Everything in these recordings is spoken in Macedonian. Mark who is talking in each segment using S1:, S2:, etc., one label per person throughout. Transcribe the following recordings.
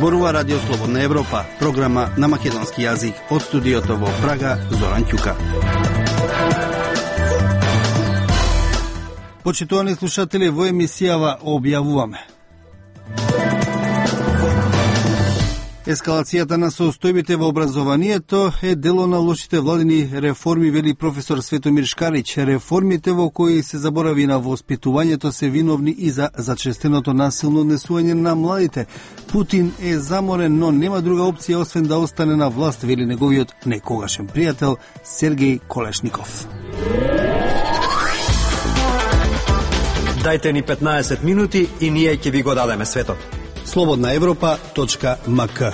S1: Зборува Радио Слободна Европа, програма на македонски јазик од студиото во Прага, Зоран Ќука. Почитувани слушатели, во емисијава објавуваме: ескалацијата на состојбите во образованието е дело на лошите владини реформи, вели професор Светомир Шкарич. Реформите во кои се заборави на воспитувањето се виновни и за зачестеното насилно однесување на младите. Путин е заморен, но нема друга опција освен да остане на власт, вели неговиот некогашен пријател Сергеј Колешников.
S2: Дајте ни 15 минути и ние ќе ви го дадеме светот.
S1: slobodnaevropa.mk.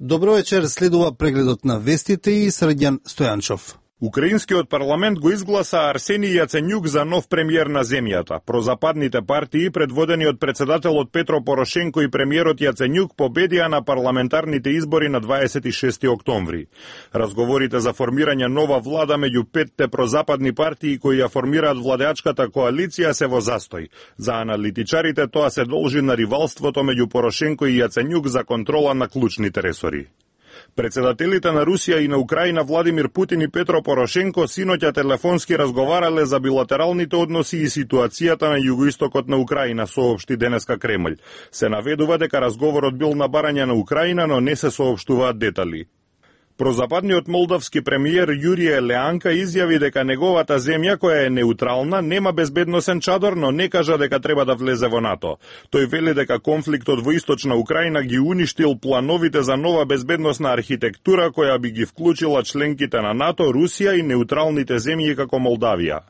S1: Добро вечер, следува прегледот на вестите и Срđan Стојанчов.
S3: Украинскиот парламент го изгласа Арсенија Јаценјук за нов премиер на земјата. Прозападните партии, предводени од председателот Петро Порошенко и премиерот Јаценјук, победија на парламентарните избори на 26 октомври. Разговорите за формирање нова влада меѓу петте прозападни партии кои ја формираат владеачката коалиција се во застој. За аналитичарите тоа се должи на ривалството меѓу Порошенко и Јаценјук за контрола на клучните ресори. Председателите на Русија и на Украина Владимир Путин и Петро Порошенко синоќа телефонски разговарале за билатералните односи и ситуацијата на југоистокот на Украина, соопшти денеска Кремљ. Се наведува дека разговорот бил на барање на Украина, но не се соопштуваат детали. Прозападниот молдавски премиер Јурија Леанка изјави дека неговата земја, која е неутрална, нема безбедносен чадор, но не кажа дека треба да влезе во НАТО. Тој вели дека конфликтот во источна Украина ги уништил плановите за нова безбедносна архитектура која би ги вклучила членките на НАТО, Русија и неутралните земји како Молдавија.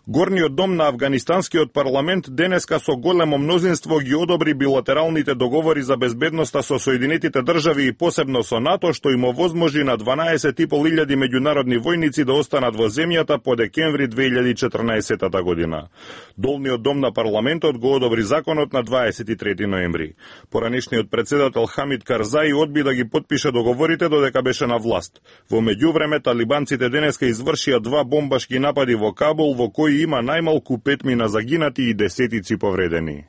S3: Горниот дом на Афганистанскиот парламент денеска со големо мнозинство ги одобри билатералните договори за безбедноста со Соединетите држави и посебно со НАТО, што им овозможи на 12.500 меѓународни војници да останат во земјата по декември 2014 година. Долниот дом на парламентот го одобри законот на 23 ноември. Поранешниот председател Хамид Карзаи одби да ги потпише договорите додека беше на власт. Во меѓувреме талибанците денеска извршија 2 бомбашки напади во Кабул, во кои има најмалку 5 загинати и десетици повредени.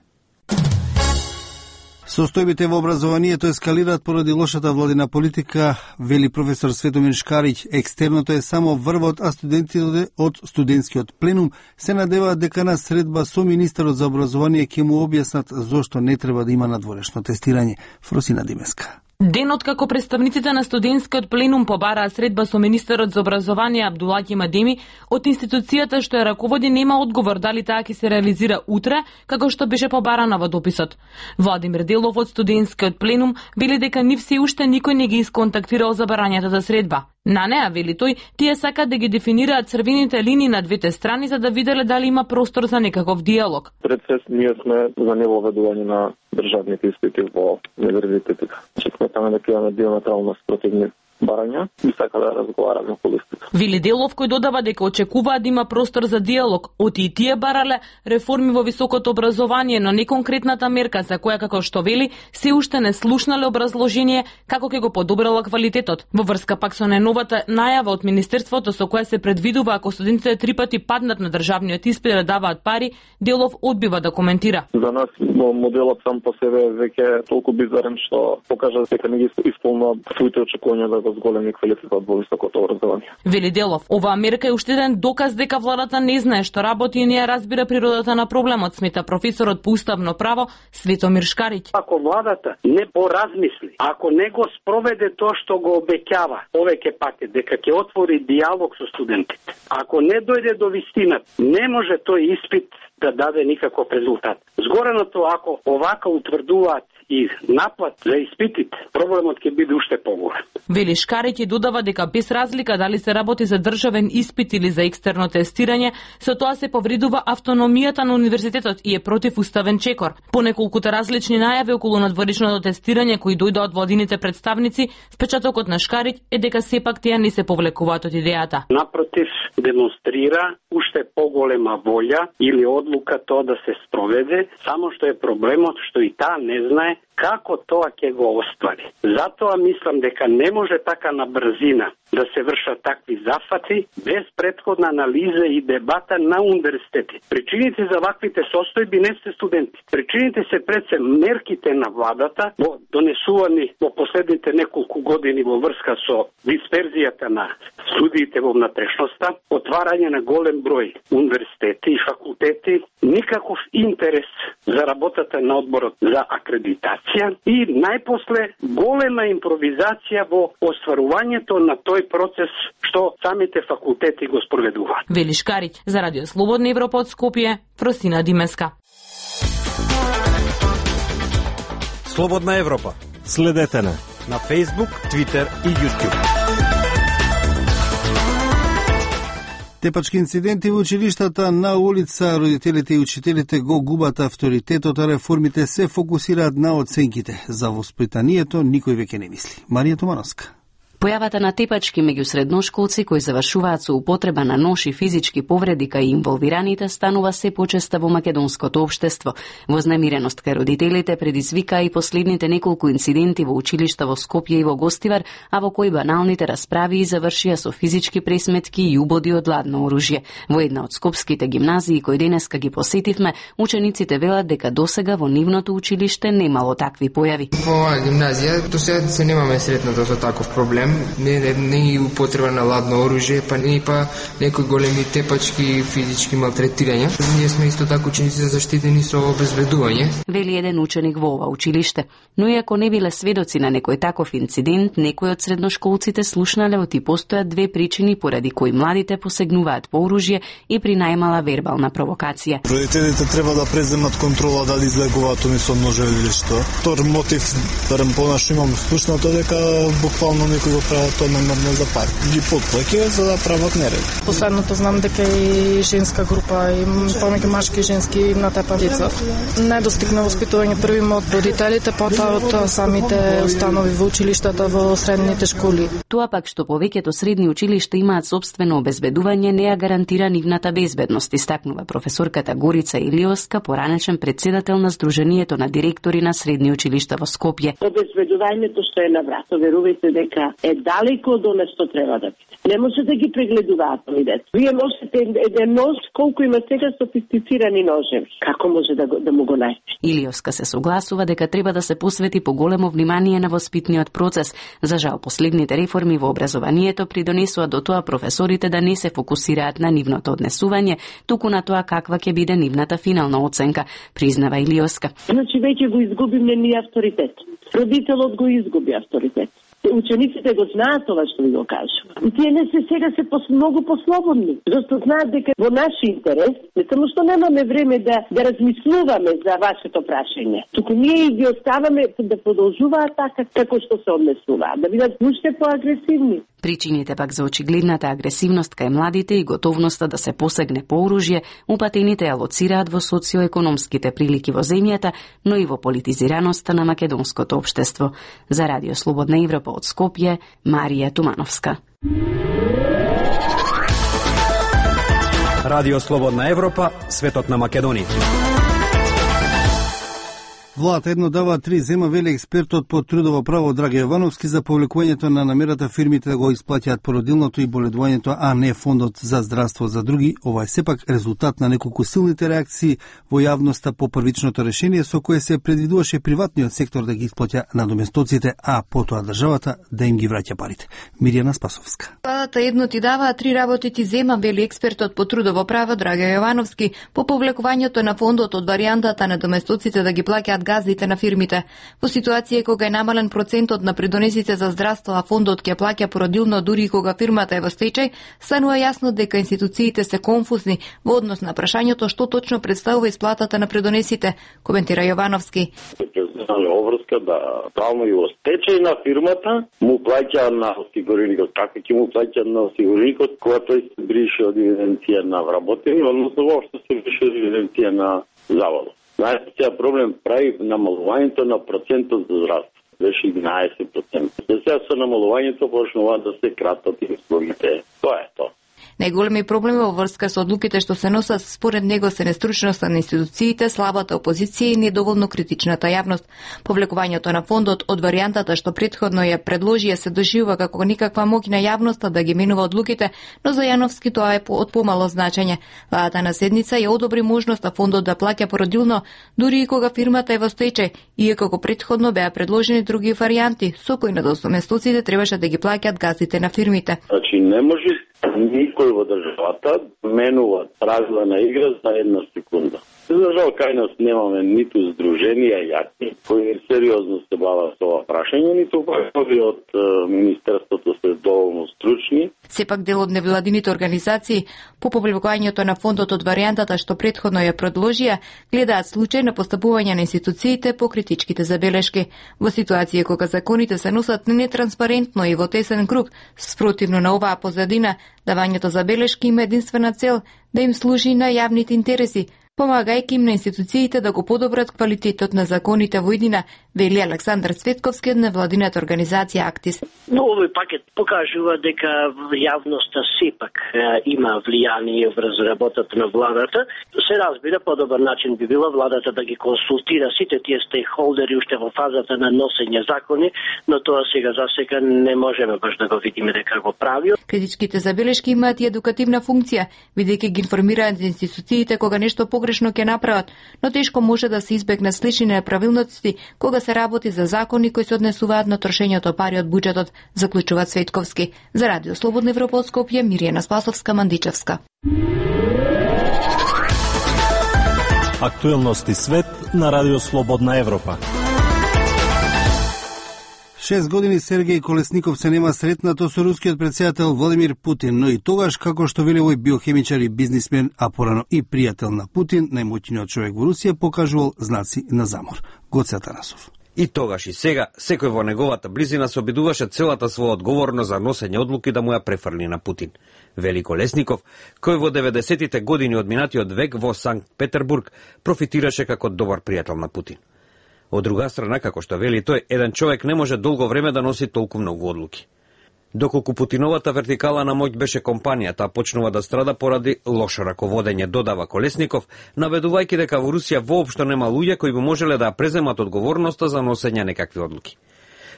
S1: Состојбите во образованието ескалираат поради лошата владина политика, вели професор Светомир Шкарич. Екстерното е само врвот, а студентите од студентскиот пленум се надеваат дека на средба со министерот за образование ќе му објаснат зошто не треба да има надворешно тестирање. Фросина Димеска.
S4: Денот како представниците на студентскиот пленум побараа средба со министерот за образование Абдулаќи Мадеми, од институцијата што ја раководи нема одговор дали таа ќе се реализира утре, како што беше побарана во дописот. Владимир Делов од студентскиот пленум вели дека нив се уште никој не ги исконтактирал за барањето за средба. На неа, вели тој, тие сакаат да ги дефинираат црвените линии на двете страни за да виделе дали има простор за некаков диалог.
S5: Пред се ние сме за невоведување на државните испити во универзитетите. Сметаме дека имаме диаметрално спротивни барања и сака да разговараме околу истите.
S4: Вили Делов, кој додава дека очекуваат да има простор за диалог, оти и тие барале реформи во високото образование, но не конкретната мерка за која, како што вели, се уште не слушнале образложение како ќе го подобрила квалитетот. Во врска пак со најновата најава од министерството со која се предвидува ако студентите 3 пати паднат на државниот испит да даваат пари, Делов одбива да коментира.
S5: За нас моделот сам по себе веќе е толку бизарен што покажа дека не ги исполнува своите очекувања за зголеми квалитетот во високото образование.
S4: Вели Делов, оваа мерка е уште еден доказ дека владата не знае што работи и не ја разбира природата на проблемот, смета професорот по уставно право Светомир Шкарич.
S6: Ако владата не поразмисли, ако не го спроведе тоа што го обеќава повеќе пати дека ќе отвори диалог со студентите, ако не дојде до вистина, не може тој испит да даде никаков резултат. Згореното, ако овака утврдуваат и наплат за испитите, проблемот ќе биде уште поголем.
S4: Вели Шкарич и додава дека без разлика дали се работи за државен испит или за екстерно тестирање, со тоа се повредува автономијата на универзитетот и е противуставен чекор. По неколкуте различни најави околу надворешното тестирање кои дојдоа од владините представници, впечатокот на Шкарич е дека сепак тие не се повлекуваат од идејата.
S6: Напротив, демонстрира уште поголема волја или одлука тоа да се спроведе, само што е проблемот што и таа не знае како тоа ќе го оствари. Затоа мислам дека не може така на брзина да се вршат такви зафати без претходна анализа и дебата на универзитети. Причините за ваквите состојби не се студенти. Причините се пред се мерките на владата донесувани во последните неколку години во врска со дисперзијата на студиите во внатрешноста, отварање на голем број универзитети и факултети, никаков интерес за работата на одборот за акредитација и најпосле голема импровизација во остварувањето на тој процес што самите факултети го спроведуваат.
S4: Вели Шкариќ за Радио Слободна Европа од Скопје, Фросина Димеска.
S2: Слободна Европа.
S7: Следете на
S2: Facebook, Twitter и YouTube.
S1: Тепачки инциденти во училиштата на улица, родителите и учителите го губат авторитетот, а реформите се фокусираат на оценките. За воспитанието никој веќе не мисли. Марија Тумановска.
S8: Појавата на тепачки меѓу средношколци кои завршуваат со употреба на нож и физички повреди кај инволвираните станува се почеста во македонското општество. Вознемиреност кај родителите предизвика и последните неколку инциденти во училишта во Скопје и во Гостивар, а во кои баналните расправи завршија со физички пресметки и убоди од ладно оружје. Во една од скопските гимназии кои денеска ги посетивме, учениците велат дека досега во нивното училиште немало такви појави.
S9: Во оваа гимназија досега се немаме сретнато со таков проблем. Не и употреба на ладно оружје, па некои големи тепачки и физички малтретирања. Ние сме исто така ученици заштитени со обезбедување.
S8: Вели еден ученик во ова училиште. Но иако не биле сведоци на некој таков инцидент, некои од средношколците слушнале оти постојат две причини поради кои младите посегнуваат по оружје и при најмала вербална провокација.
S7: Родителите треба да преземат контрола дали излегуваат они со ножеви или што. Втор мотив, барем понашто имам слушнато дека буквално некој го прават тоа намерно за пари. Ги потплаќаат за да прават неред.
S10: Последното знам дека и женска група, и помеѓу машки и женски натепа деца. Недостигна воспитување првимо од родителите, потоа од самите установи во училиштата во средните школи.
S8: Тоа пак што повеќето средни училишта имаат собствено обезбедување не ја гарантира нивната безбедност, истакнува професорката Горица Илиоска, поранешен председател на Сдруженијето на директори на средни училишта во Скопје.
S11: Обезбедувањето што е на врат, верувајте дека е далеко од она што треба да биде. Не може да ги прегледуваат овие деца. Вие носите еден нож, колку има сега софистицирани ножеви. Како може да му го најдете?
S8: Илиоска се согласува дека треба да се посвети поголемо внимание на воспитниот процес. За жал, последните реформи во образованието придонесува до тоа професорите да не се фокусираат на нивното однесување, туку на тоа каква ќе биде нивната финална оценка, признава Илиоска.
S11: Значи веќе го изгубиме ние авторитет. Родителот го изгуби авторитет. Учениците го знаат тоа што ви го кажува. Тие не се сега се многу послободни, зашто знаат дека во наш интерес, не само што немаме време да размислуваме за вашето прашање, туку ние ги оставаме да продолжуваат така како што се однесуваат, да бидат уште поагресивни.
S8: Причините пак за очигледната агресивност кај младите и готовноста да се посегне по оружје, упатените ја лоцираат во социоекономските прилики во земјата, но и во политизираноста на македонското општество. За Радио Слободна Европа од Скопје, Марија Тумановска.
S2: Радио Слободна Европа, светот на Македонија.
S1: Владата едно дава 3 зема, вели експертот по трудово право Драге Јовановски, за повлекувањето на намерата фирмите да го исплаќаат породилното и боледувањето, а не фондот за здравство за други. Ова е сепак резултат на неколку силните реакции во јавноста по првичното решение со кое се предвидуваше приватниот сектор да ги исплаќа надоместоците, а потоа државата да им ги враќа парите. Миријана Спасовска.
S12: Владата едно ти дава, 3 работи ти зема, вели експертот по трудово право Драге Јовановски, по повлекувањето на фондот од варијантата на доместоците да ги плаќаат газдите на фирмите. Во ситуација кога е намален процентот на придонесите за здравство, а фондот ќе плаќа породилно дури и кога фирмата е во стечај, станува јасно дека институциите се конфузни во однос на прашањето што точно представува исплатата на придонесите, коментира Јовановски.
S13: Обврска да правно и во стечај на фирмата му плаќа на осигуреникот. Како ќе му плаќа на осигуреникот кога тој се брише од евиденција на вработени, односно воопшто се брише од евиденција на заводот. Најчест проблем прави намалувањето на процентот за здравство. Беше 11%. Сега со намалувањето почнува да се кратат и услугите. Тоа е тоа.
S12: Најголеми проблеми во врска со одлуките што се носат според него се нестручноста на институциите, слабата опозиција и недоволно критичната јавност. Повлекувањето на фондот од варијантата што претходно ја предложија се доживува како никаква моќна јавноста да ги менува одлуките, но за Јановски тоа е од помало значење. Владата на седница ја одобри можноста фондот да плаќа породилно, дури и кога фирмата е во стечај, иако како предходно беа предложени други варијанти, со кои надоместоците требаше да ги плаќаат газите на фирмите.
S13: Значи не може никој во државата менува правила на игра за една секунда. За жал, кај нас немаме ниту здруженија јаки кои сериозно се бават со ова прашање, ниту кои од Министерството се доволно стручни.
S12: Сепак дел од невладините организации по повлекувањето на фондот од варијантата што претходно ја предложија, гледаат случај на постапување на институциите по критичките забелешки. Во ситуација кога законите се носат нетранспарентно и во тесен круг, спротивно на оваа позадина, давањето забелешки има единствена цел да им служи на јавните интереси, помагајќи им на институциите да го подобрат квалитетот на законите во иднина, вели Александар Цветковски од невладината организација Актис.
S14: Но овој пакет покажува дека јавноста сепак има влијание врз работата на владата. Се разбира, подобар начин би било владата да ги консултира сите тие стейкхолдери уште во фазата на носење закони, но тоа сега засека не можеме баш да го видиме дека го прави.
S12: Критичките забелешки имаат и едукативна функција, бидејќи ги информираат за институциите кога нешто погрешно ќе направат, но тешко може да се избегне слични неправилности кога се работи за закони кои се однесуваат на трошењето пари од буџетот, заклучува Цветковски. За Радио Слободна Европа од Скопје, Миријана Спасовска, Мандичевска.
S15: Актуелности свет на Радио Слободна Европа.
S1: 6 години Сергеј Колесников се нема сретнато со рускиот претседател Владимир Путин, но и тогаш, како што вели овој биохемичар и бизнисмен, а порано и пријател на Путин, најмоćниот човек во Русија, покажувал знаци на замор. Гоце Атанасов.
S2: И тогаш и сега, секој во неговата близина се обидуваше целата своја одговорност за носење одлуки да му ја префрли на Путин. Вели Колесников, кој во 90-тите години од минатиот век во Санкт Петербург профитираше како добар пријател на Путин. Од друга страна, како што вели тој, еден човек не може долго време да носи толку многу одлуки. Доколку Путиновата вертикала на моќ беше компанијата, почнува да страда поради лошо раководење, додава Колесников, наведувајќи дека во Русија воопшто нема луѓе кои би можеле да преземат одговорноста за носење некакви одлуки.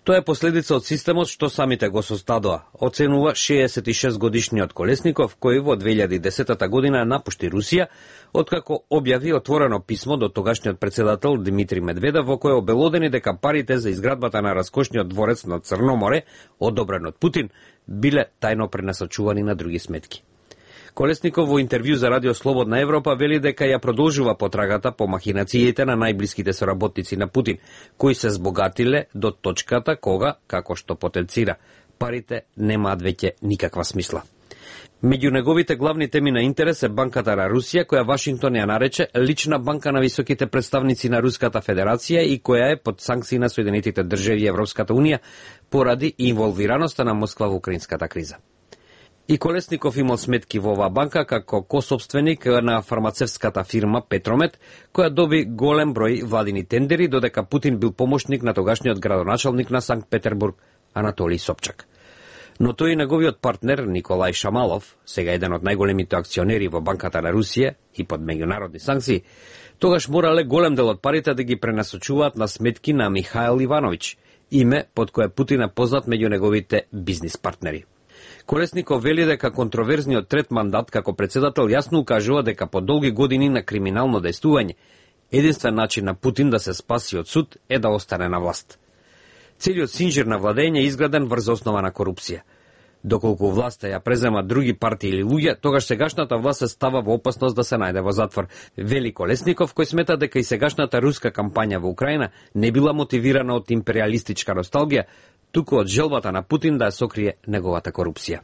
S2: Тоа е последица од системот што самите го создадоа, оценува 66 годишниот Колесников, кој во 2010 година напушти Русија, откако објави отворено писмо до тогашниот председател Димитри Медведев, во кое обелодени дека парите за изградбата на раскошниот дворец на Црно море, одобрен од Путин, биле тајно пренасочувани на други сметки. Колесников во интервју за Радио Слободна Европа вели дека ја продолжува потрагата по махинациите на најблиските соработници на Путин, кои се збогатиле до точката кога, како што потенцира, парите немаат веќе никаква смисла. Меѓу неговите главни теми на интерес е банката на Русија, која Вашингтон ја нарече лична банка на високите представници на Руската Федерација и која е под санкции на Соединетите држави и Европската Унија поради инволвираноста на Москва во украинската криза. И Колесников имал сметки во оваа банка како кособственик на фармацевската фирма Петромет, која доби голем број владини тендери, додека Путин бил помошник на тогашниот градоначалник на Санкт Петербург Анатолиј Собчак. Но тој и неговиот партнер Николај Шамалов, сега еден од најголемите акционери во банката на Русија и под меѓународни санкции, тогаш морале голем дел од парите да ги пренасочуваат на сметки на Михаил Ивановиќ, име под кое Путин е познат меѓу неговите бизнис партнери. Колесников вели дека контроверзниот трет мандат како председател јасно укажува дека по долги години на криминално дејствување, единствен начин на Путин да се спаси од суд е да остане на власт. Целиот синџир на владење е изграден врз основа на корупција. Доколку власта ја преземат други партии или луѓе, тогаш сегашната власт се става во опасност да се најде во затвор, вели Колесников, кој смета дека и сегашната руска кампања во Украина не била мотивирана од империалистичка носталгија, туку од желбата на Путин да ја сокрие неговата корупција.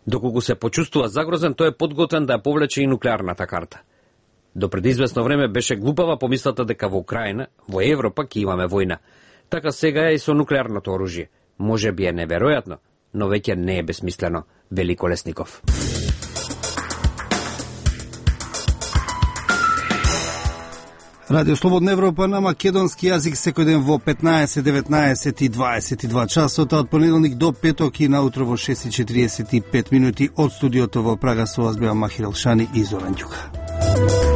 S2: Доколку се почувствува загрозен, тој е подготвен да ја повлече и нуклеарната карта. До пред известно време беше глупава помислата дека во Украина, во Европа, ќе имаме војна. Така сега е и со нуклеарното оружје. Може би е неверојатно, но веќе не е безсмислено, вели Колесников.
S1: Радио Слободна Европа на македонски јазик секој ден во 15, 19 и 22 часот, од понеделник до петок и наутро во 6:45 од студиото во Прага со вас беа Махир Елшани и Зоран Ѓука.